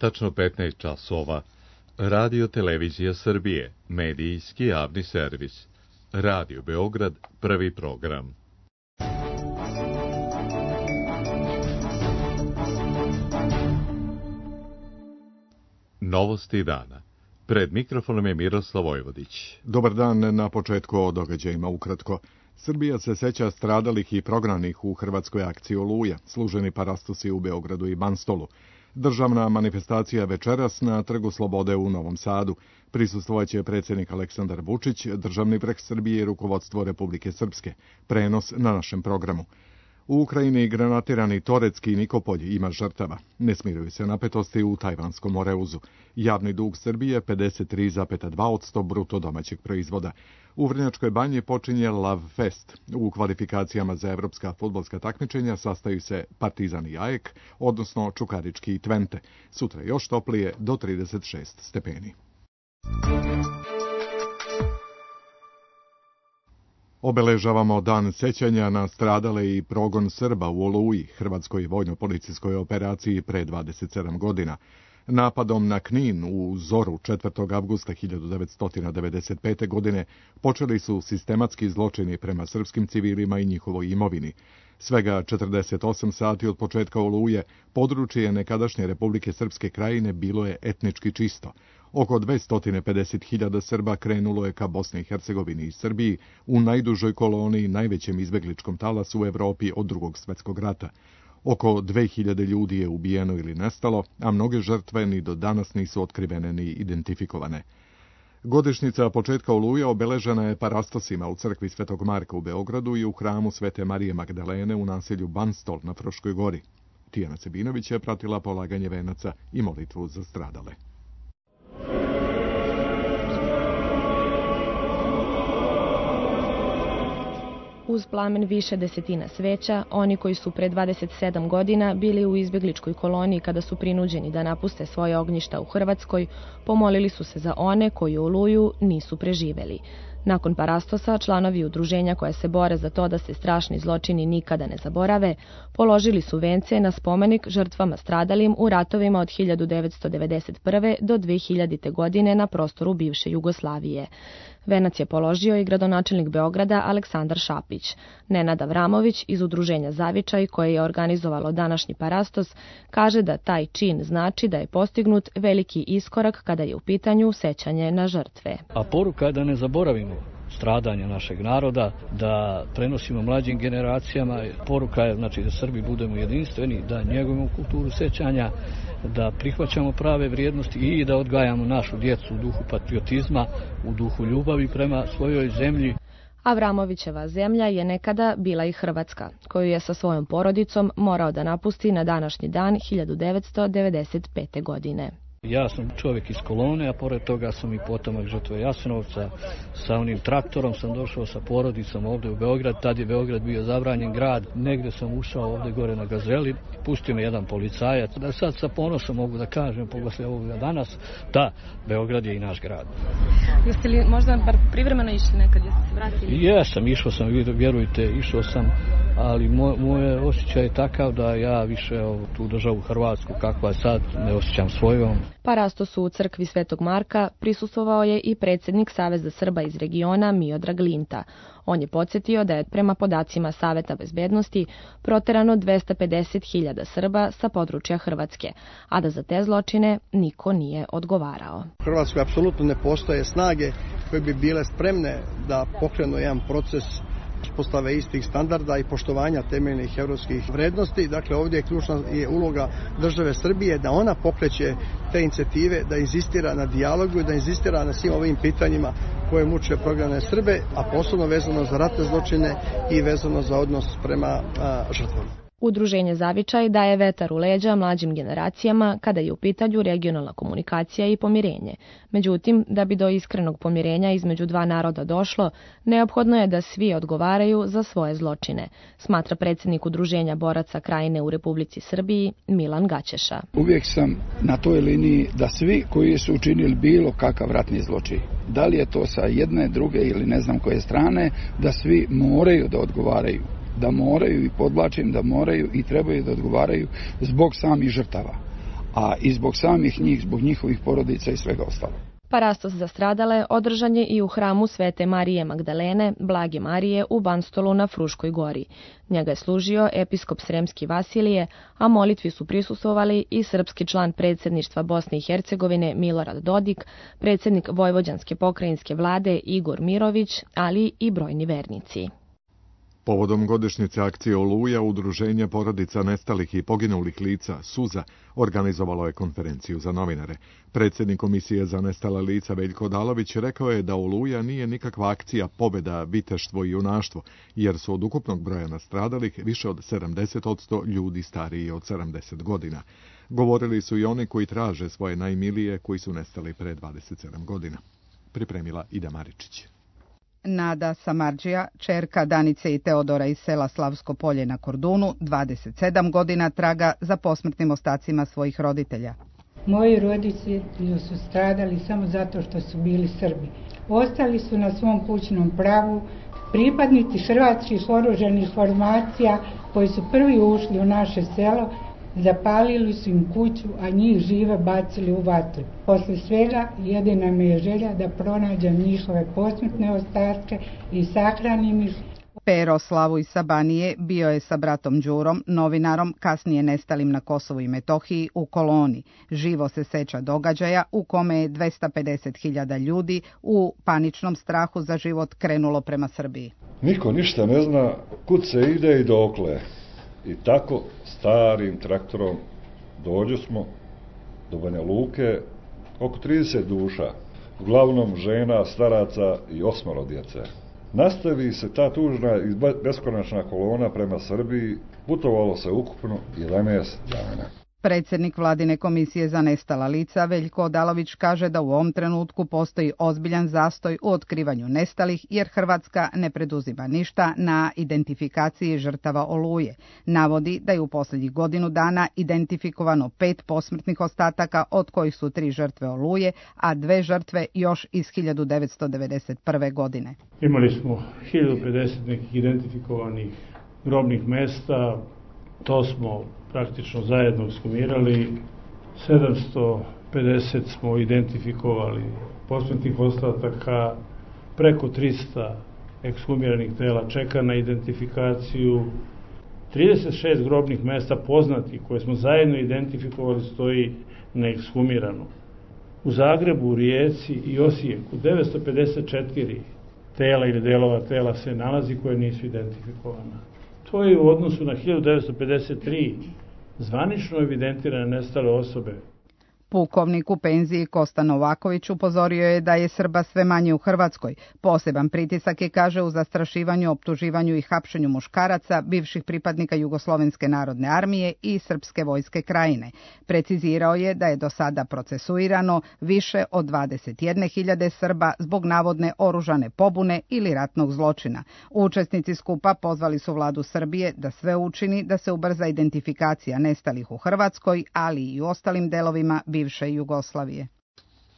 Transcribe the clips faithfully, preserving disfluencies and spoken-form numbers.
Tačno petnaest časova. Radio Televizija Srbije, medijski javni servis. Radio Beograd, prvi program. Novosti dana. Pred mikrofonom je Miroslav Vojvodić. Dobar dan. Na početku o događajima ukratko. Srbija se seća stradalih i prognanih u hrvatskoj akciji Oluja, služeni parastosi u Beogradu i Banstolu. Državna manifestacija večeras na Trgu Slobode u Novom Sadu. Prisustvovaće predsjednik Aleksandar Vučić, državni vrh Srbije i rukovodstvo Republike Srpske. Prenos na našem programu. U Ukrajini granatirani Toretski Nikopolj ima žrtava. Ne smiruju se napetosti u tajvanskom Moreuzu. Javni dug Srbije pedeset tri zarez dva posto bruto domaćeg proizvoda. U Vrnjačkoj banji počinje Lav Fest. U kvalifikacijama za evropska fudbalska takmičenja sastaju se Partizan i A E K, odnosno Čukarički i Twente. Sutra još toplije do trideset šest stepeni. Obeležavamo dan sećanja na stradale i progon Srba u Oluji, hrvatskoj vojno-policijskoj operaciji pre dvadeset sedam godina. Napadom na Knin u zoru četvrtog avgusta hiljadu devetsto devedeset pete. godine počeli su sistematski zločini prema srpskim civilima i njihovoj imovini. Svega četrdeset osam sati od početka Oluje područje nekadašnje Republike Srpske Krajine bilo je etnički čisto. Oko dvesta pedeset hiljada Srba krenulo je ka Bosni i Hercegovini i Srbiji u najdužoj koloniji, najvećem izbegličkom talasu u Evropi od Drugog svjetskog rata. Oko dve hiljade ljudi je ubijeno ili nestalo, a mnoge žrtve ni do danas nisu otkrivene ni identifikovane. Godišnjica početka Oluje obeležena je parastosima u crkvi Svetog Marka u Beogradu i u hramu Svete Marije Magdalene u naselju Banstol na Fruškoj gori. Tijana Sebinović je pratila polaganje venaca i molitvu za stradale. Uz plamen više desetina sveća, oni koji su pre dvadeset sedam godina bili u izbegličkoj koloniji kada su prinuđeni da napuste svoje ognjišta u Hrvatskoj, pomolili su se za one koji Oluju nisu preživeli. Nakon parastosa, članovi udruženja koja se bore za to da se strašni zločini nikada ne zaborave, položili su vence na spomenik žrtvama stradalim u ratovima od hiljadu devetsto devedeset prve. do dve hiljadite. godine na prostoru bivše Jugoslavije. Venac je položio i gradonačelnik Beograda Aleksandar Šapić. Nenad Avramović iz udruženja Zavičaj, koje je organizovalo današnji parastos, kaže da taj čin znači da je postignut veliki iskorak kada je u pitanju sećanje na žrtve. A poruka je da ne zaboravimo stradanja našeg naroda, da prenosimo mlađim generacijama. Poruka je znači da Srbi budemo jedinstveni, da njegujemo kulturu sećanja, da prihvaćamo prave vrijednosti i da odgajamo našu djecu u duhu patriotizma, u duhu ljubavi prema svojoj zemlji. Avramovićeva zemlja je nekada bila i Hrvatska, koju je sa svojom porodicom morao da napusti na današnji dan hiljadu devetsto devedeset pete. godine. Ja sam čovjek iz kolone, a pored toga sam i potomak žrtve Jasenovca. Sa onim traktorom sam došao sa porodicom ovdje u Beograd. Tad je Beograd bio zabranjen grad. Negdje sam ušao ovdje gore na Gazeli. Pustio me jedan policajac. Da sad sa ponosom mogu da kažem, poslije ovoga danas, da, Beograd je i naš grad. Jeste li možda bar privremeno išli nekad? Jeste se vratili? Jesam, išao sam, vjerujte, išao sam, ali moj, moj osjećaj je takav da ja više ovu, tu državu Hrvatsku, kakva je sad, ne osjećam svojom. Parastosu u crkvi Svetog Marka prisustvovao je i predsjednik Saveza Srba iz regiona Miodrag Linta. On je podsjetio da je prema podacima Saveta bezbednosti proterano dvesta pedeset hiljada Srba sa područja Hrvatske, a da za te zločine niko nije odgovarao. U Hrvatskoj apsolutno ne postoje snage koje bi bile spremne da pokrenu jedan proces uspostave istih standarda i poštovanja temeljnih evropskih vrednosti. Dakle, ovdje je ključna je uloga države Srbije da ona pokreće te inicijative, da inzistira na dijalogu i da inzistira na svim ovim pitanjima koje muče prognane Srbe, a posebno vezano za ratne zločine i vezano za odnos prema a, žrtvama. Udruženje Zavičaj daje vetar u leđa mlađim generacijama kada je u pitanju regionalna komunikacija i pomirenje. Međutim, da bi do iskrenog pomirenja između dva naroda došlo, neophodno je da svi odgovaraju za svoje zločine, smatra predsjednik Udruženja boraca Krajine u Republici Srbiji Milan Gaćeša. Uvijek sam na toj liniji da svi koji su učinili bilo kakav ratni zločin, da li je to sa jedne, druge ili ne znam koje strane, da svi moraju da odgovaraju. Da moraju i podvlačim da moraju i trebaju da odgovaraju zbog samih žrtava. a i zbog samih njih, zbog njihovih porodica i svega ostalog. Parastos za stradale održan je i u hramu Svete Marije Magdalene, Blage Marije u Banstolu na Fruškoj gori. Njega je služio episkop Sremski Vasilije, a molitvi su prisustvovali i srpski član predsjedništva Bosne i Hercegovine Milorad Dodik, predsjednik Vojvođanske pokrajinske vlade Igor Mirović, ali i brojni vernici. Povodom godišnjice akcije Oluja, Udruženje porodica nestalih i poginulih lica Suza organizovalo je konferenciju za novinare. Predsjednik Komisije za nestala lica Veljko Odalović rekao je da Oluja nije nikakva akcija pobjeda, viteštvo i junaštvo, jer su od ukupnog broja nastradalih više od sedamdeset posto ljudi stariji od sedamdeset godina. Govorili su i oni koji traže svoje najmilije koji su nestali pre dvadeset sedam godina. Pripremila Ida Maričić. Nada Samardžija, čerka Danice i Teodora iz sela Slavsko polje na Kordunu, dvadeset sedam godina traga za posmrtnim ostacima svojih roditelja. Moji roditelji su stradali samo zato što su bili Srbi. Ostali su na svom kućnom pravu pripadnici hrvatskih oružanih formacija koji su prvi ušli u naše selo. Zapalili su im kuću, a njih žive bacili u vatru. Posle svega jedina mi je želja da pronađem njihove posmrtne ostatke i sahranim ih. Pero Slavuj sa Banije bio je sa bratom Đurom, novinarom, kasnije nestalim na Kosovu i Metohiji, u koloni. Živo se seća događaja u kome je dvesta pedeset hiljada ljudi u paničnom strahu za život krenulo prema Srbiji. Niko ništa ne zna kud se ide i dokle. I tako starim traktorom dođu smo do Banja Luke, oko trideset duša, uglavnom žena, staraca i osmoro djece. Nastavi se ta tužna i beskonačna kolona prema Srbiji, putovalo se ukupno jedanaest dana. Predsjednik Vladine komisije za nestala lica Veljko Odalović kaže da u ovom trenutku postoji ozbiljan zastoj u otkrivanju nestalih jer Hrvatska ne preduzima ništa na identifikaciji žrtava Oluje. Navodi da je u posljednjih godinu dana identifikovano pet posmrtnih ostataka, od kojih su tri žrtve Oluje, a dve žrtve još iz hiljadu devetsto devedeset prve. godine. Imali smo hiljadu pedeset nekih identifikovanih grobnih mesta, to smo praktično zajedno ekshumirali, sedamsto pedeset smo identifikovali posmrtnih ostataka, preko trista ekshumiranih tela čeka na identifikaciju, trideset šest grobnih mesta poznatih koje smo zajedno identifikovali stoji neekshumirano. U Zagrebu, u Rijeci i Osijeku devetsto pedeset četiri tela ili delova tela se nalazi koje nisu identifikovana. To je u odnosu na hiljadu devetsto pedeset tri zvanično evidentirane nestale osobe. Pukovnik u penziji Kosta Novaković upozorio je da je Srba sve manje u Hrvatskoj. Poseban pritisak je, kaže, u zastrašivanju, optuživanju i hapšenju muškaraca, bivših pripadnika Jugoslovenske narodne armije i Srpske vojske Krajine. Precizirao je da je do sada procesuirano više od dvadeset jedne hiljade Srba zbog navodne oružane pobune ili ratnog zločina. Učesnici skupa pozvali su vladu Srbije da sve učini da se ubrza identifikacija nestalih u Hrvatskoj, ali i u ostalim delovima bivše Jugoslavije.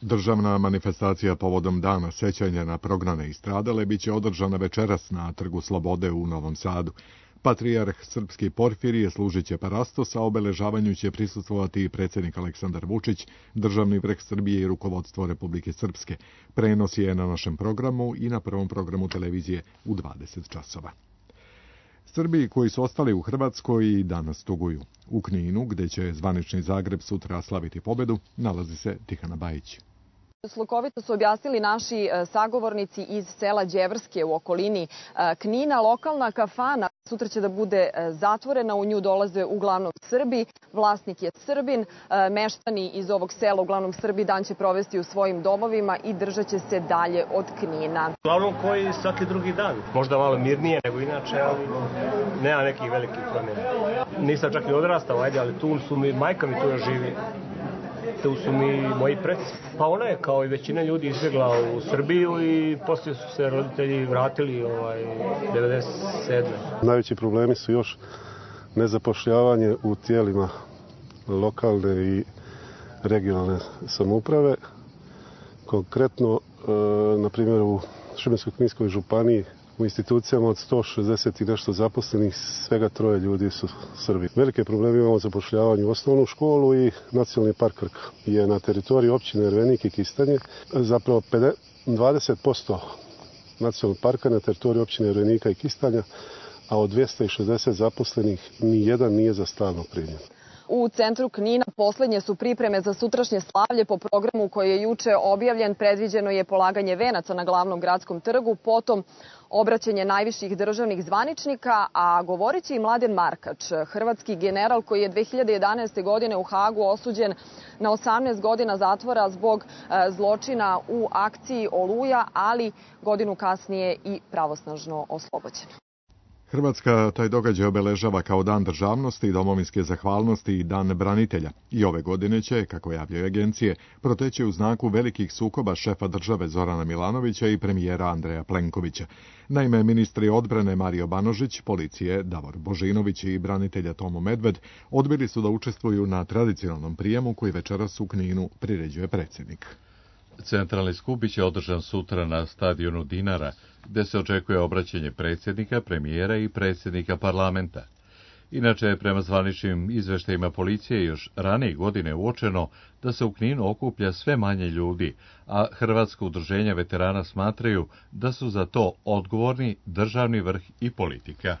Državna manifestacija povodom Dana sećanja na prognane i stradale biće održana večeras na Trgu Slobode u Novom Sadu. Patrijarh srpski Porfirije služit će parastos, a obeležavanju će prisustvovati i predsjednik Aleksandar Vučić, državni vrh Srbije i rukovodstvo Republike Srpske. Prenos je na našem programu i na prvom programu televizije u dvadeset časova. Srbi koji su ostali u Hrvatskoj danas tuguju. U Kninu, gde će zvanični Zagreb sutra slaviti pobedu, nalazi se Tihana Bajić. Slukovito su objasnili naši sagovornici iz sela Đevrske u okolini Knina. Lokalna kafana sutra će da bude zatvorena, u nju dolaze uglavnom Srbi, vlasnik je Srbin, meštani iz ovog sela, uglavnom Srbi, dan će provesti u svojim domovima i držat će se dalje od Knina. Uglavnom koji svaki drugi dan, možda malo mirnije nego inače, ali nema nekih velikih promjena. Nisam čak i odrastao, ajde, ali tu su mi, majka mi tu još živi. Tu su mi moji preci. Pa ona je kao i većina ljudi izbjegla u Srbiju i poslije su se roditelji vratili ovaj, devedeset sedme. Najveći problemi su još nezapošljavanje u tijelima lokalne i regionalne samouprave. Konkretno, e, na primjer, u Šibensko-kninskoj županiji U institucijama od sto šezdeset i nešto zaposlenih svega troje ljudi su Srbi. Velike probleme imamo zapošljavanje u osnovnu školu i Nacionalni park Krka je na teritoriji općine Ervenik i Kistanje. Zapravo dvadeset posto nacionalnog parka na teritoriji općine Ervenika i Kistanja, a od dvjesto šezdeset zaposlenih ni jedan nije za stalno primljen. U centru Knina poslednje su pripreme za sutrašnje slavlje. Po programu koji je juče objavljen predviđeno je polaganje venaca na glavnom gradskom trgu, potom obraćanje najviših državnih zvaničnika, a govorit će i Mladen Markač, hrvatski general koji je dve hiljade jedanaeste. godine u Hagu osuđen na osamnaest godina zatvora zbog zločina u akciji Oluja, ali godinu kasnije i pravosnažno oslobođen. Hrvatska taj događaj obeležava kao Dan državnosti i domovinske zahvalnosti i Dan branitelja. I ove godine će, kako javljaju agencije, proteći u znaku velikih sukoba šefa države Zorana Milanovića i premijera Andreja Plenkovića. Naime, ministri odbrane Mario Banožić, policije Davor Božinović i branitelja Tomo Medved odbili su da učestvuju na tradicionalnom prijemu koji večeras u Kninu priređuje predsjednik. Centralni skup biće održan sutra na stadionu Dinara, gde se očekuje obraćanje predsjednika, premijera i predsjednika parlamenta. Inače, prema zvaničnim izveštajima policije, još ranije godine uočeno da se u Kninu okuplja sve manje ljudi, a Hrvatska udruženja veterana smatraju da su za to odgovorni državni vrh i politika.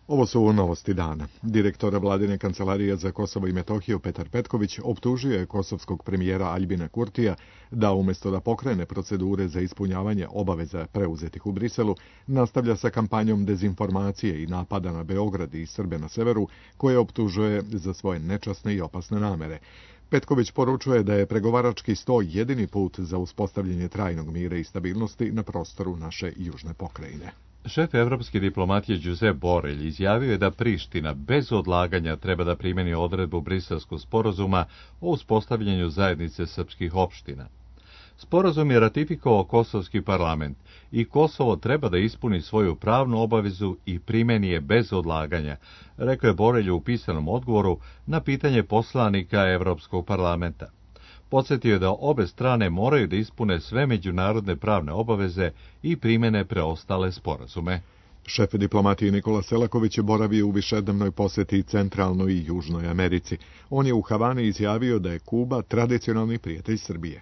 Ovo su novosti dana. Direktor Vladine kancelarije za Kosovo i Metohiju Petar Petković optužio je kosovskog premijera Aljbina Kurtija da umjesto da pokrene procedure za ispunjavanje obaveza preuzetih u Briselu, nastavlja sa kampanjom dezinformacije i napada na Beograd i Srbe na severu, koje optužuje za svoje nečasne i opasne namere. Petković poručuje da je pregovarački sto jedini put za uspostavljanje trajnog mira i stabilnosti na prostoru naše južne pokrajine. Šef evropske diplomatije Josep Borrell izjavio je da Priština bez odlaganja treba da primeni odredbu Briselskog sporazuma o uspostavljanju zajednice srpskih opština. Sporazum je ratifikovao Kosovski parlament i Kosovo treba da ispuni svoju pravnu obavezu i primeni je bez odlaganja, rekao je Borrell u pisanom odgovoru na pitanje poslanika Evropskog parlamenta. Podsjetio je da obe strane moraju da ispune sve međunarodne pravne obaveze i primene preostale sporazume. Šef diplomatije Nikola Selaković boravi u višednevnoj posjeti Centralnoj i Južnoj Americi. On je u Havani izjavio da je Kuba tradicionalni prijatelj Srbije.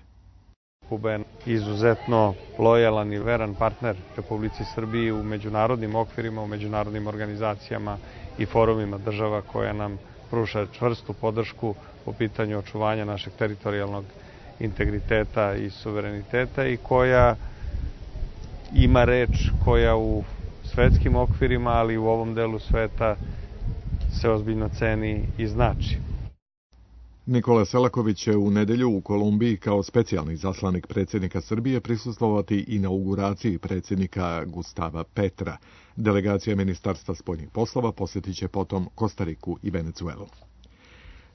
Kuba je izuzetno lojalan i veran partner Republici Srbiji u međunarodnim okvirima, u međunarodnim organizacijama i forumima država koja nam pruža čvrstu podršku po pitanju očuvanja našeg teritorijalnog integriteta i suvereniteta i koja ima reč koja u svetskim okvirima, ali u ovom delu sveta se ozbiljno ceni i znači. Nikola Selaković će u nedelju u Kolumbiji kao specijalni zaslanik predsjednika Srbije prisustvovati inauguraciji predsjednika Gustava Petra. Delegacija Ministarstva spoljnih poslova posjetit će potom Kostariku i Venecuelu.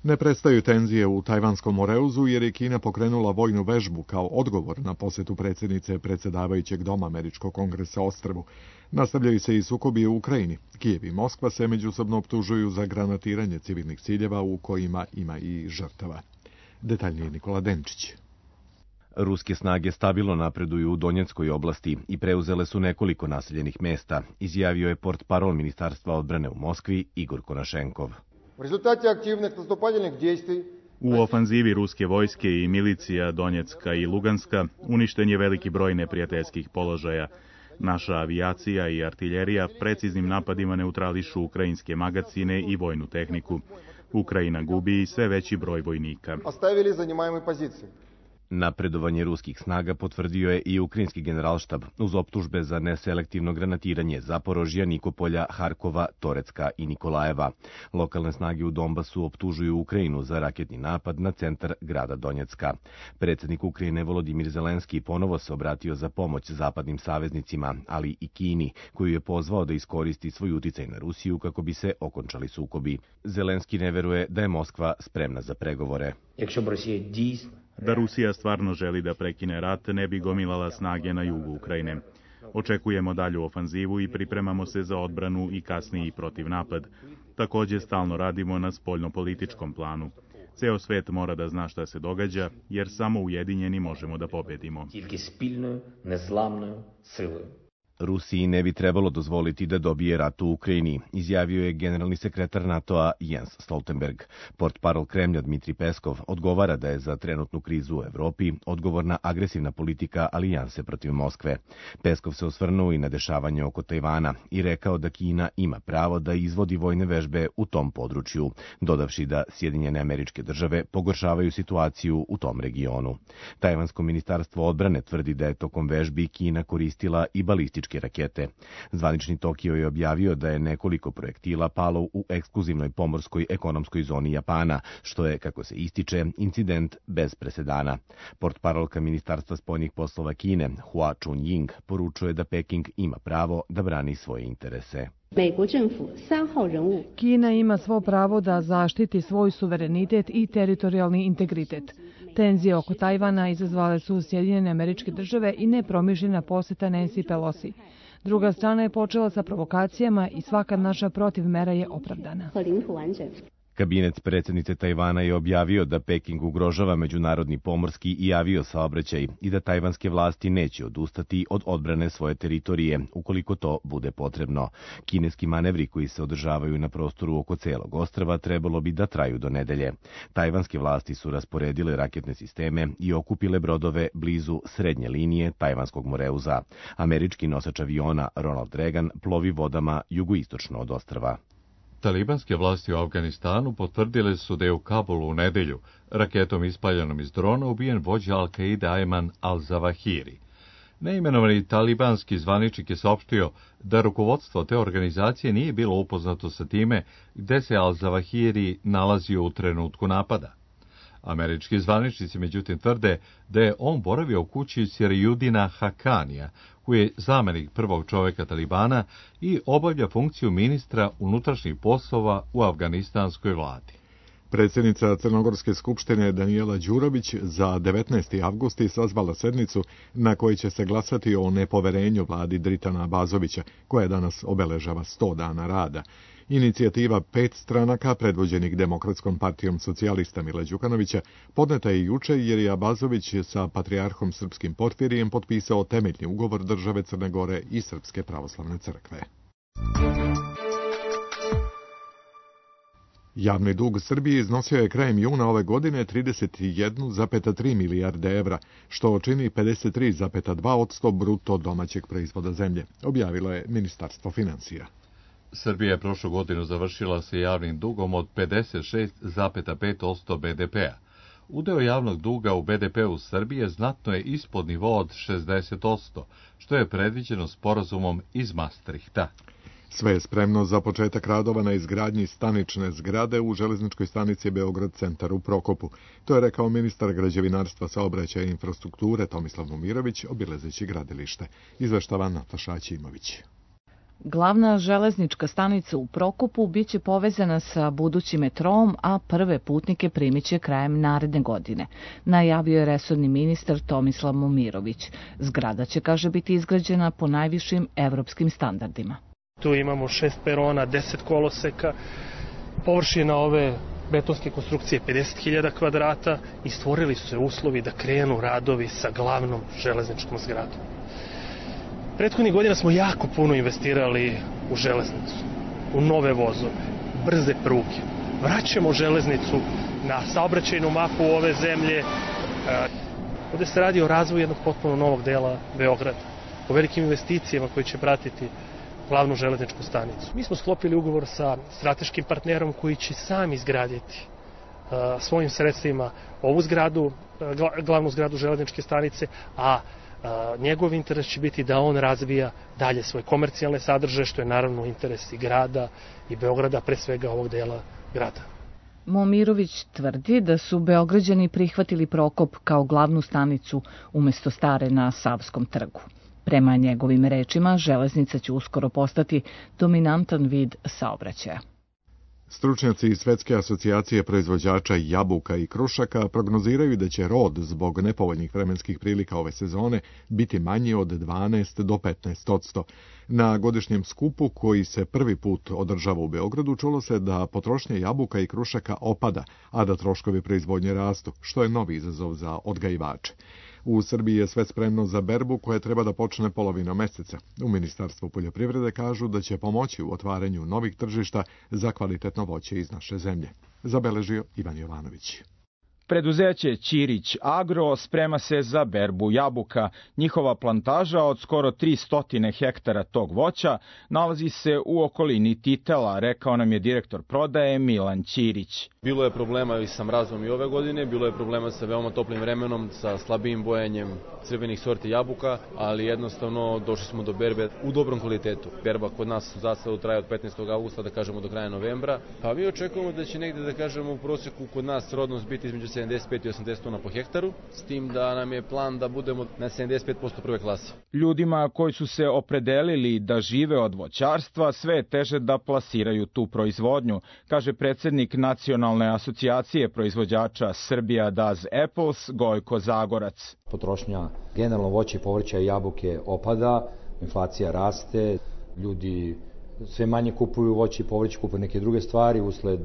Ne prestaju tenzije u Tajvanskom Moreuzu jer je Kina pokrenula vojnu vežbu kao odgovor na posjetu predsjednice predsjedavajućeg doma Američkog kongresa ostrvu. Nastavljaju se i sukobi u Ukrajini. Kijev i Moskva se međusobno optužuju za granatiranje civilnih ciljeva u kojima ima i žrtava. Detaljnije Nikola Denčić. Ruske snage stabilno napreduju u Donjeckoj oblasti i preuzele su nekoliko naseljenih mesta, izjavio je portparol Ministarstva odbrane u Moskvi Igor Konašenkov. U ofanzivi ruske vojske i milicija Donjecka i Luganska uništen je veliki broj neprijateljskih položaja. Naša avijacija i artiljerija preciznim napadima neutrališu ukrajinske magacine i vojnu tehniku. Ukrajina gubi sve veći broj vojnika. Napredovanje ruskih snaga potvrdio je i ukrajinski generalštab uz optužbe za neselektivno granatiranje Zaporožja, Nikopolja, Harkova, Torecka i Nikolajeva. Lokalne snage u Donbasu optužuju Ukrajinu za raketni napad na centar grada Donjecka. Predsjednik Ukrajine Volodimir Zelenski ponovo se obratio za pomoć zapadnim saveznicima, ali i Kini, koju je pozvao da iskoristi svoj uticaj na Rusiju kako bi se okončali sukobi. Zelenski ne veruje da je Moskva spremna za pregovore. Da Rusija stvarno želi da prekine rat, ne bi gomilala snage na jugu Ukrajine. Očekujemo dalju ofanzivu i pripremamo se za odbranu i kasniji protivnapad. Također stalno radimo na spoljnopolitičkom planu. Ceo svet mora da zna šta se događa, jer samo ujedinjeni možemo da pobedimo. Rusiji ne bi trebalo dozvoliti da dobije rat u Ukrajini, izjavio je generalni sekretar NATO-a Jens Stoltenberg. Portparol Kremlja Dmitri Peskov odgovara da je za trenutnu krizu u Evropi odgovorna agresivna politika alijanse protiv Moskve. Peskov se osvrnuo i na dešavanje oko Tajvana i rekao da Kina ima pravo da izvodi vojne vežbe u tom području, dodavši da Sjedinjene Američke Države pogoršavaju situaciju u tom regionu. Tajvansko ministarstvo odbrane tvrdi da je tokom vežbi Kina koristila i balističke rakete. Zvanični Tokio je objavio da je nekoliko projektila palo u ekskluzivnoj pomorskoj ekonomskoj zoni Japana, što je, kako se ističe, incident bez presedana. Portparolka Ministarstva spoljnih poslova Kine, Hua Chunying, poručuje da Peking ima pravo da brani svoje interese. Kina ima svo pravo da zaštiti svoj suverenitet i teritorijalni integritet. Tenzije oko Tajvana izazvale su Sjedinjene Američke Države i nepromišljena poseta Nancy Pelosi. Druga strana je počela sa provokacijama i svaka naša protivmera je opravdana. Kabinet predsjednice Tajvana je objavio da Peking ugrožava međunarodni pomorski i avio saobraćaj i da tajvanske vlasti neće odustati od odbrane svoje teritorije, ukoliko to bude potrebno. Kineski manevri koji se održavaju na prostoru oko celog ostrva trebalo bi da traju do nedelje. Tajvanske vlasti su rasporedile raketne sisteme i okupile brodove blizu srednje linije Tajvanskog moreuza. Američki nosač aviona Ronald Reagan plovi vodama jugoistočno od ostrva. Talibanske vlasti u Afganistanu potvrdile su da je u Kabulu u nedelju raketom ispaljenom iz drona ubijen vođa Al-Qaida Ayman al-Zawahiri. Neimenovani talibanski zvaničnik je saopštio da rukovodstvo te organizacije nije bilo upoznato sa time gde se al-Zawahiri nalazio u trenutku napada. Američki zvaničnici međutim tvrde da je on boravio u kući Sirjudina Hakanija, koji je zamenik prvog čoveka Talibana i obavlja funkciju ministra unutrašnjih poslova u afganistanskoj vladi. Predsjednica Crnogorske skupštine Danijela Đurović za devetnaesti avgust sazvala sednicu na kojoj će se glasati o nepoverenju vladi Dritana Abazovića, koja danas obeležava sto dana rada. Inicijativa pet stranaka, predvođenih Demokratskom partijom socijalista Mila Đukanovića, podneta je juče jer je Abazović sa patrijarhom srpskim Porfirijem potpisao temeljni ugovor države Crne Gore i Srpske pravoslavne crkve. Javni dug Srbije iznosio je krajem juna ove godine trideset jedan zarez tri milijarde evra, što čini pedeset tri zarez dva posto bruto domaćeg proizvoda zemlje, objavilo je Ministarstvo financija. Srbija je prošlu godinu završila sa javnim dugom od pedeset šest zarez pet posto be de pea. Udeo javnog duga u be de peu Srbije znatno je ispod nivoa od šezdeset posto, što je predviđeno sporazumom iz Maastrichta. Sve je spremno za početak radova na izgradnji stanične zgrade u železničkoj stanici Beograd centar u Prokopu. To je rekao ministar građevinarstva, saobraćaja i infrastrukture Tomislav Momirović, obilazeći gradilište. Izveštava Nataša Aćimović. Glavna železnička stanica u Prokopu biće povezana sa budućim metrom, a prve putnike primiće krajem naredne godine, najavio je resorni ministar Tomislav Momirović. Zgrada će, kaže, biti izgrađena po najvišim evropskim standardima. Tu imamo šest perona, deset koloseka, površina ove betonske konstrukcije pedeset hiljada kvadrata i stvorili su se uslovi da krenu radovi sa glavnom železničkom zgradom. Prethodnih godina smo jako puno investirali u železnicu, u nove vozove, brze pruge. Vraćamo železnicu na saobraćajnu mapu ove zemlje. Ovde se radi o razvoju jednog potpuno novog dela Beograda, o velikim investicijama koje će pratiti glavnu železničku stanicu. Mi smo sklopili ugovor sa strateškim partnerom koji će sam izgraditi uh, svojim sredstvima ovu zgradu, uh, glavnu zgradu železničke stanice, a uh, njegov interes će biti da on razvija dalje svoje komercijalne sadržaje, što je naravno interes i grada i Beograda, pre svega ovog dela grada. Momirović tvrdi da su Beograđani prihvatili Prokop kao glavnu stanicu umesto stare na Savskom trgu. Prema njegovim rečima, železnica će uskoro postati dominantan vid saobraćaja. Stručnjaci iz Svetske asocijacije proizvođača jabuka i krušaka prognoziraju da će rod zbog nepovoljnih vremenskih prilika ove sezone biti manji od dvanaest do petnaest posto. Na godišnjem skupu koji se prvi put održava u Beogradu čulo se da potrošnja jabuka i krušaka opada, a da troškovi proizvodnje rastu, što je novi izazov za odgajivače. U Srbiji je sve spremno za berbu koja treba da počne polovinom meseca. U Ministarstvu poljoprivrede kažu da će pomoći u otvaranju novih tržišta za kvalitetno voće iz naše zemlje. Zabeležio Ivan Jovanović. Preduzeće Ćirić Agro sprema se za berbu jabuka. Njihova plantaža od skoro tristo hektara tog voća nalazi se u okolini Titela, rekao nam je direktor prodaje Milan Ćirić. Bilo je problema i sa mrazom i ove godine, bilo je problema sa veoma toplim vremenom, sa slabijim bojanjem crvenih sorti jabuka, ali jednostavno došli smo do berbe u dobrom kvalitetu. Berba kod nas u zasadu traje od petnaestog avgusta, da kažemo do kraja novembra, pa mi očekujemo da će negde, da kažemo, u prosjeku kod nas rodnost biti između sedamdeset pet i osamdeset tona po hektaru, s tim da nam je plan da budemo na sedamdeset pet posto prve klase. Ljudima koji su se opredelili da žive od voćarstva, sve je teže da plasiraju tu proizvodnju, kaže predsednik Nacionalne asocijacije proizvođača Srbija Does Apples, Gojko Zagorac. Potrošnja generalno voća i povrća i jabuke opada, inflacija raste, ljudi sve manje kupuju voće i povrće, kupuju neke druge stvari usled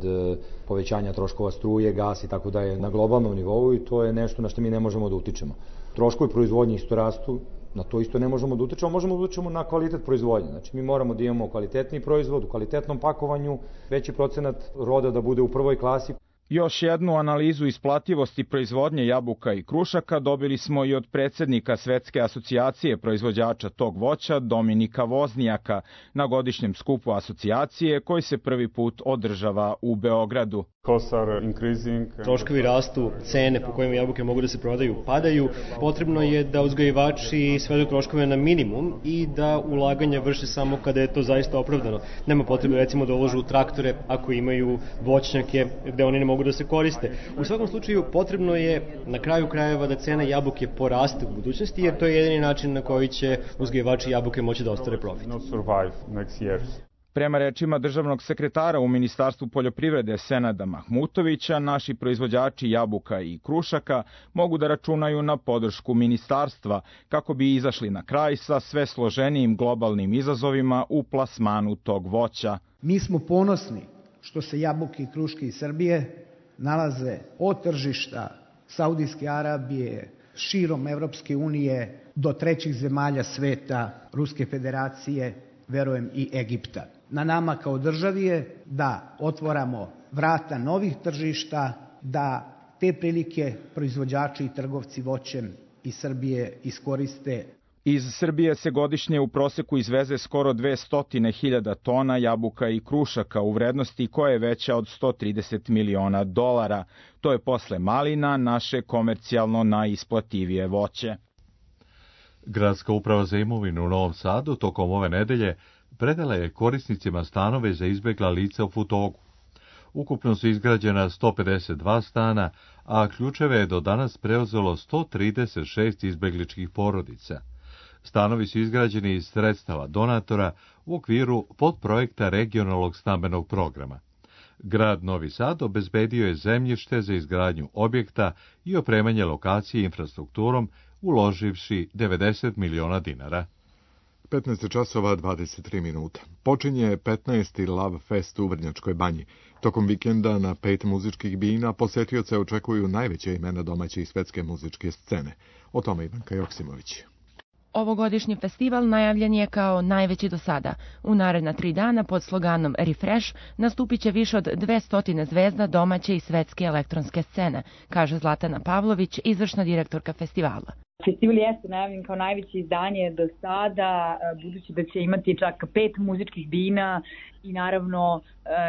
povećanja troškova struje, gas i tako da je na globalnom nivou i to je nešto na što mi ne možemo da utičemo. Troškovi proizvodnje isto rastu, na to isto ne možemo da utičemo, možemo da utičemo na kvalitet proizvodnje. Znači mi moramo da imamo kvalitetni proizvod, u kvalitetnom pakovanju, veći procenat roda da bude u prvoj klasi. Još jednu analizu isplativosti proizvodnje jabuka i krušaka dobili smo i od predsednika Svetske asocijacije proizvođača tog voća Dominika Voznijaka na godišnjem skupu asocijacije koji se prvi put održava u Beogradu. Troškovi rastu, cene po kojima jabuke mogu da se prodaju padaju. Potrebno je da uzgajivači svedu troškove na minimum i da ulaganja vrše samo kada je to zaista opravdano. Nema potrebe recimo da uložu u traktore ako imaju voćnjake gde oni ne mogu da se koriste. U svakom slučaju potrebno je na kraju krajeva da cena jabuke poraste u budućnosti jer to je jedini način na koji će uzgajivači jabuke moći da ostvare profit. Prema rečima državnog sekretara u Ministarstvu poljoprivrede Senada Mahmutovića, naši proizvođači jabuka i krušaka mogu da računaju na podršku ministarstva kako bi izašli na kraj sa sve složenijim globalnim izazovima u plasmanu tog voća. Mi smo ponosni što se jabuke i kruške iz Srbije nalaze od tržišta Saudijske Arabije, širom Evropske unije do trećih zemalja sveta, Ruske federacije, verujem i Egipta. Na nama kao državi je da otvoramo vrata novih tržišta, da te prilike proizvođači i trgovci voćem iz Srbije iskoriste. Iz Srbije se godišnje u proseku izveze skoro dvesta hiljada tona jabuka i krušaka u vrednosti koja je veća od sto trideset miliona dolara. To je posle malina naše komercijalno najisplativije voće. Gradska uprava za imovinu u Novom Sadu tokom ove nedelje predala je korisnicima stanove za izbegla lica u Futogu. Ukupno su izgrađena sto pedeset dva stana, a ključeve je do danas preuzelo sto trideset šest izbegličkih porodica. Stanovi su izgrađeni iz sredstava donatora u okviru podprojekta regionalnog stambenog programa. Grad Novi Sad obezbedio je zemljište za izgradnju objekta i opremanje lokacije infrastrukturom, uloživši devedeset miliona dinara. petnaest časova dvadeset tri minuta. Počinje petnaesti Love Fest u Vrnjačkoj Banji. Tokom vikenda na pet muzičkih bina posetioce očekuju najveće imena domaće i svetske muzičke scene. O tome Ivanka Joksimović. Ovogodišnji festival najavljen je kao najveći do sada. U naredna tri dana pod sloganom Refresh nastupit će više od dvesta zvezda domaće i svetske elektronske scene, kaže Zlatana Pavlović, izvršna direktorka festivala. Festival jeste najavljen kao najveće izdanje do sada, budući da će imati čak pet muzičkih bina i naravno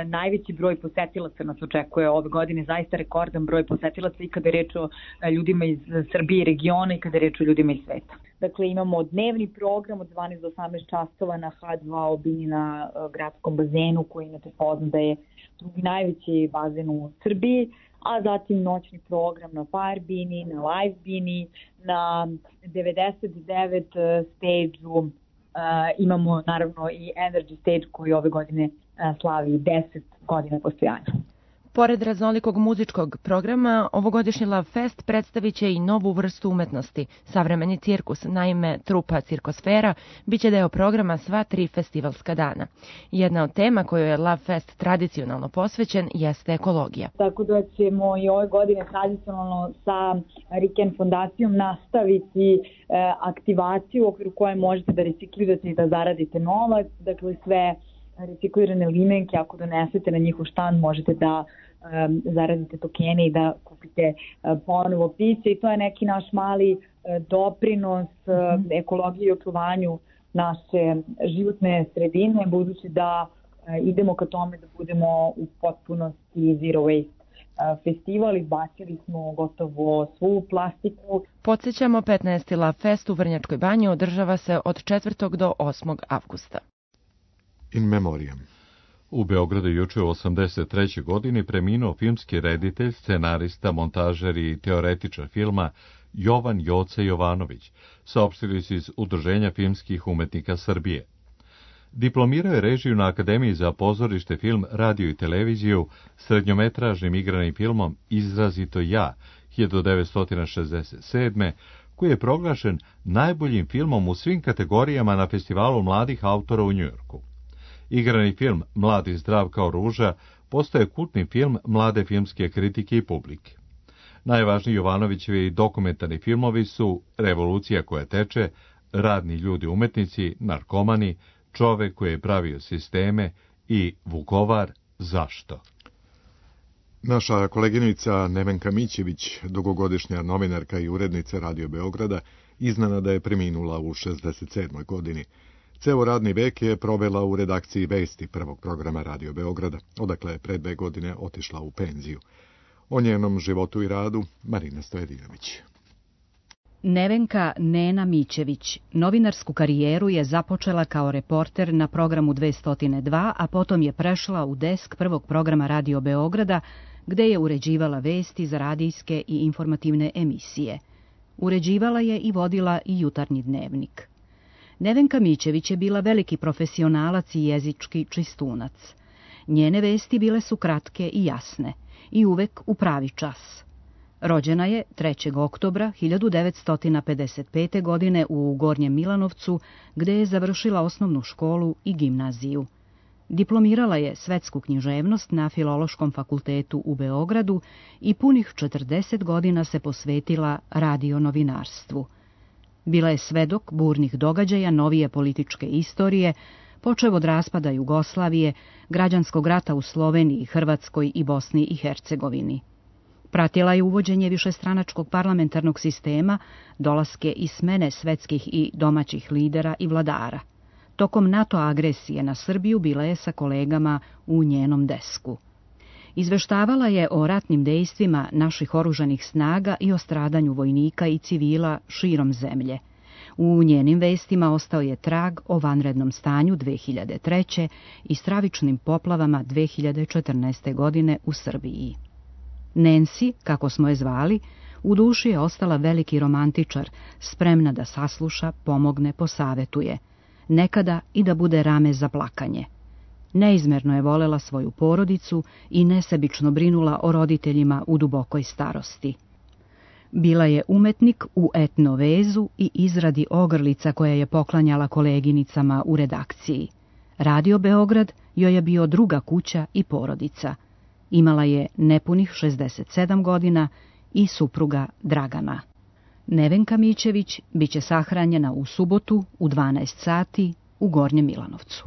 najveći broj posetilaca nas očekuje ove godine, zaista rekordan broj posetilaca i kada je reč o ljudima iz Srbije i regiona i kada je reč o ljudima iz sveta. Dakle, imamo dnevni program od dvanaest do osamnaest časova na ha dva o Bini na gradskom bazenu, koji inače poznat da je drugi najveći bazen u Srbiji, a zatim noćni program na Fire Bini, na Live Bini, na devedeset devet stage-u. Uh, imamo naravno i Energy Stage koji ove godine uh, slavi deset godina postojanja. Pored raznolikog muzičkog programa, ovogodišnji Love Fest predstavit će i novu vrstu umetnosti, savremeni cirkus. Naime, trupa Cirkosfera biće deo programa sva tri festivalska dana. Jedna od tema kojoj je Love Fest tradicionalno posvećen jeste ekologija. Tako da ćemo i ove godine tradicionalno sa Riken fondacijom nastaviti e, aktivaciju u okviru koje možete da reciklirate i da zaradite novac. Dakle, sve reciklirane limenke, ako donesete na njihov štand, možete da um, zaradite tokene i da kupite uh, ponovo piće i to je neki naš mali uh, doprinos uh, ekologiji i očuvanju naše životne sredine, budući da uh, idemo ka tome da budemo u potpunosti zero waste uh, festival. Izbacili smo gotovo svu plastiku. Podsjećamo, petnaesti Love Fest u Vrnjačkoj Banji održava se od četvrtog do osmog avgusta. In memoriam. U Beogradu juče u osamdeset trećoj godini preminuo filmski reditelj, scenarista, montažer i teoretičar filma Jovan Joce Jovanović, saopštili su iz Udruženja filmskih umetnika Srbije. Diplomirao je režiju na Akademiji za pozorište, film, radio i televiziju srednjometražnim igranim filmom Izrazito ja, hiljadu devetsto šezdeset sedme, koji je proglašen najboljim filmom u svim kategorijama na festivalu mladih autora u Njujorku. Igrani film Mlad i zdrav kao ruža postaje kultni film mlade filmske kritike i publike. Najvažniji Jovanovićevi dokumentarni filmovi su Revolucija koja teče, Radni ljudi umetnici, Narkomani, Čovek koji je pravio sisteme i Vukovar, zašto? Naša koleginica Nevenka Mićević, dugogodišnja novinarka i urednica Radio Beograda, iznenada je preminula u šezdeset sedmoj godini. Ceo radni vek je provela u redakciji Vesti prvog programa Radio Beograda, odakle je pre dve godine otišla u penziju. O njenom životu i radu Marina Stojedinović. Nevenka Nena Mićević novinarsku karijeru je započela kao reporter na programu dvesta dva, a potom je prešla u desk prvog programa Radio Beograda, gde je uređivala vesti za radijske i informativne emisije. Uređivala je i vodila i jutarnji dnevnik. Nevenka Mićević je bila veliki profesionalac i jezički čistunac. Njene vesti bile su kratke i jasne, i uvek u pravi čas. Rođena je trećeg oktobra hiljadu devetsto pedeset pete. godine u Gornjem Milanovcu, gde je završila osnovnu školu i gimnaziju. Diplomirala je svetsku književnost na Filološkom fakultetu u Beogradu i punih četrdeset godina se posvetila radionovinarstvu. Bila je svedok burnih događaja novije političke istorije, počev od raspada Jugoslavije, građanskog rata u Sloveniji, Hrvatskoj i Bosni i Hercegovini. Pratila je uvođenje višestranačkog parlamentarnog sistema, dolaske i smene svetskih i domaćih lidera i vladara. Tokom NATO agresije na Srbiju bila je sa kolegama u njenom desku. Izveštavala je o ratnim dejstvima naših oružanih snaga i o stradanju vojnika i civila širom zemlje. U njenim vestima ostao je trag o vanrednom stanju dve hiljade treće. i stravičnim poplavama dve hiljade četrnaeste. godine u Srbiji. Nancy, kako smo je zvali, u duši je ostala veliki romantičar, spremna da sasluša, pomogne, posavetuje. Nekada i da bude rame za plakanje. Neizmerno je volela svoju porodicu i nesebično brinula o roditeljima u dubokoj starosti. Bila je umetnik u etnovezu i izradi ogrlica koje je poklanjala koleginicama u redakciji. Radio Beograd joj je bio druga kuća i porodica. Imala je nepunih šezdeset sedam godina i supruga Dragana. Nevenka Mićević biće sahranjena u subotu u dvanaest sati u Gornjem Milanovcu.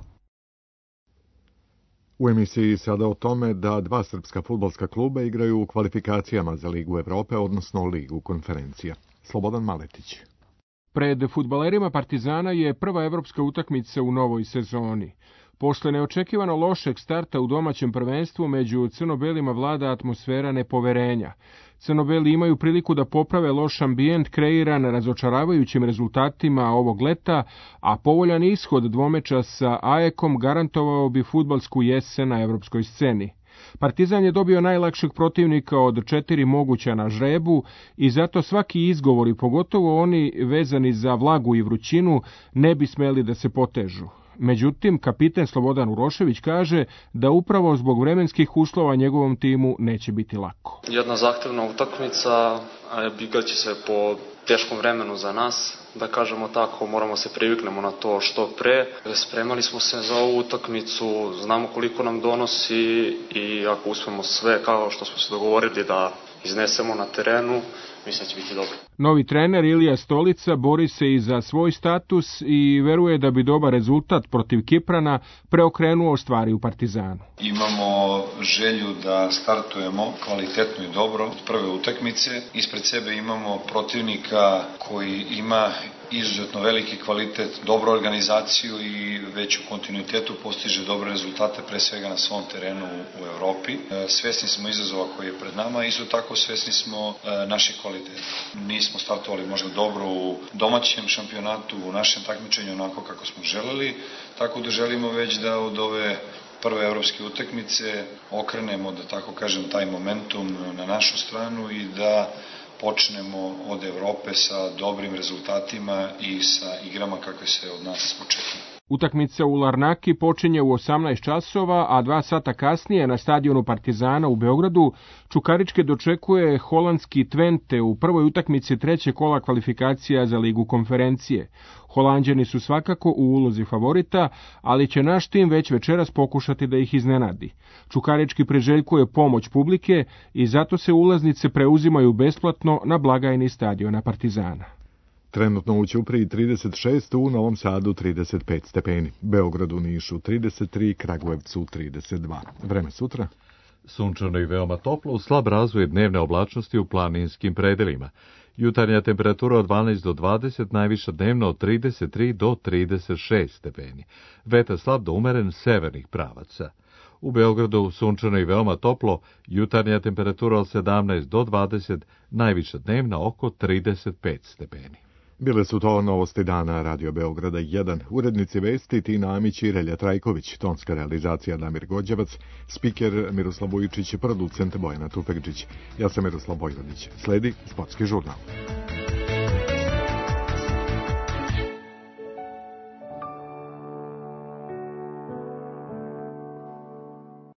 U emisiji sada o tome da dva srpska fudbalska kluba igraju u kvalifikacijama za Ligu Evrope, odnosno Ligu konferencija. Slobodan Maletić. Pred fudbalerima Partizana je prva evropska utakmica u novoj sezoni. Posle neočekivano lošeg starta u domaćem prvenstvu među crno-belima vlada atmosfera nepoverenja. Crno-beli imaju priliku da poprave loš ambijent kreiran razočaravajućim rezultatima ovog leta, a povoljan ishod dvomeča sa A E K-om garantovao bi fudbalsku jesen na evropskoj sceni. Partizan je dobio najlakšeg protivnika od četiri moguća na žrebu i zato svaki izgovori, pogotovo oni vezani za vlagu i vrućinu, ne bi smeli da se potežu. Međutim, kapiten Slobodan Urošević kaže da upravo zbog vremenskih uslova njegovom timu neće biti lako. Jedna zahtevna utakmica, bigaće se po teškom vremenu za nas, da kažemo tako, moramo se priviknemo na to što pre. Spremali smo se za ovu utakmicu, znamo koliko nam donosi i ako uspemo sve kao što smo se dogovorili da iznesemo na terenu, mislim da će biti dobro. Novi trener Ilija Stolica bori se i za svoj status i veruje da bi dobar rezultat protiv Kiprana preokrenuo stvari u Partizanu. Imamo želju da startujemo kvalitetno i dobro od prve utakmice. Ispred sebe imamo protivnika koji ima izuzetno veliki kvalitet, dobru organizaciju i već u kontinuitetu postiže dobre rezultate pre svega na svom terenu u Evropi. Svesni smo izazova koji je pred nama, isto tako svesni smo naših kvaliteta. Nismo startovali možda dobro u domaćem šampionatu, u našem takmičenju onako kako smo želeli, tako da želimo već da od ove prve evropske utakmice okrenemo, da tako kažem, taj momentum na našu stranu i da počnemo od Evrope sa dobrim rezultatima i sa igrama kakve se od nas očekuju. Utakmica u Larnaki počinje u osamnaest časova, a dva sata kasnije na stadionu Partizana u Beogradu Čukaričke dočekuje holandski Twente u prvoj utakmici trećeg kola kvalifikacija za Ligu konferencije. Holanđani su svakako u ulozi favorita, ali će naš tim već večeras pokušati da ih iznenadi. Čukarički priželjkuje pomoć publike i zato se ulaznice preuzimaju besplatno na blagajni stadiona Partizana. Trenutno u Ćupriji trideset šest, u Novom Sadu trideset pet stepeni, Beogradu, Nišu trideset tri, Kragujevcu trideset dva. Vreme sutra? Sunčano i veoma toplo, uz slab razvoj dnevne oblačnosti u planinskim predelima. Jutarnja temperatura od dvanaest do dvadeset, najviša dnevno od trideset tri do trideset šest stepeni. Vetar slab do umeren severnih pravaca. U Beogradu sunčano i veoma toplo, jutarnja temperatura od sedamnaest do dvadeset, najviša dnevna oko trideset pet stepeni. Bile su to novosti dana Radio Beograda jedan. Urednici vesti Tina Amić i Relja Trajković, tonska realizacija Damir Gođevac, spiker Miroslav Vujičić, producent Bojana Tufekđić. Ja sam Miroslav Bojvodić. Sledi sportski žurnal.